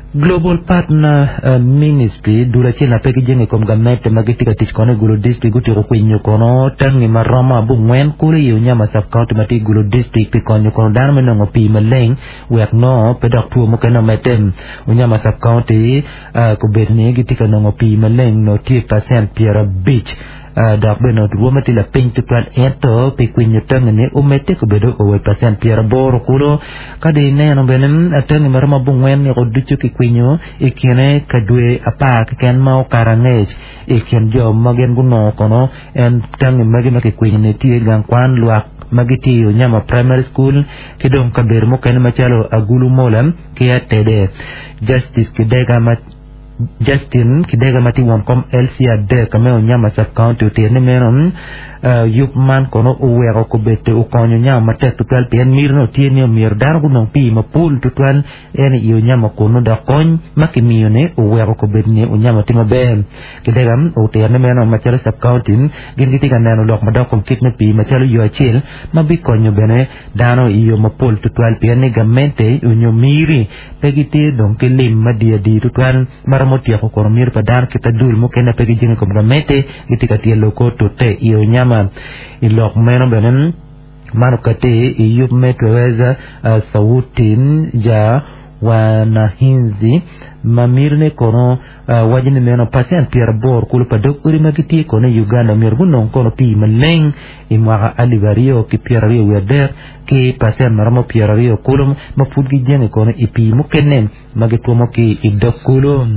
Global Partner Ministry, dul acel ma pe gijenge i kom gamente ma gitye ka tic kono i Gulu District gutyeko kwinyo kono tangi ma romo abongwen kulu i Onyama Sub-County ma tye i Gulu District pi konyo kono dano me nongo pii maleng wek nongo pe dok two mukene omedde. Onyama Sub-County kobedo ni gitye ka nongo pii maleng nongo tye pacent 50. Dok bene rwomme tye lapiny tutwal ento pi kwinyo tangi-ni omedde gubedo o wa i pacent 80 kulu. Ka dong ineno bene, tangi ma romo abongwen niko ducu kikwinyo i kine ka dwe apar keken ma okato angec. I kin jo ma gin gunongo kono en tangi magi ma kikwinyo-ni tye gang kwan lwak ma gitye i Onyama Primary School ki dong kabedo mukene macalo Agulu Mola ki Atede. Justice Kidega ma Justin Kidega ma tye won kom LC adek me Onyama Sub County otito ni meno yub man kono oweko kobedde okonyo Onyama matek tutwal pien miti nongo tye ni omyero dano gunong pii mapol tutwal en i Onyama kunu dok kony ma kimiyo ni oweko kobed ni Onyama tye maber. Kidega otito ni meno macalo Sub County gin gitye ka neno lok madok kom kit me pii macalo yo acel ma bikonyo bene dano i yo mapol tutwal pien ni gamente onyo miri pe gitye dong ki lim madii adii tutwal ma romo tyeko kono miti pa dano kit adul mukene pe gijenge i kom gamente gitye ka tyelo kor tute i onyama. I lok meno bene man okati i yub me Twaweza Sauti ja Wanahinzi ma mitine kono waco ni meno pacent 80 kulu pa dog odi ma gitye kono i Uganda myero gunong kono pii maleng i mwaka 2023 ki pacent ma romo 20 kulu ma pud gijenge kono i pii mukene ma gitwomo ki i dog kulu.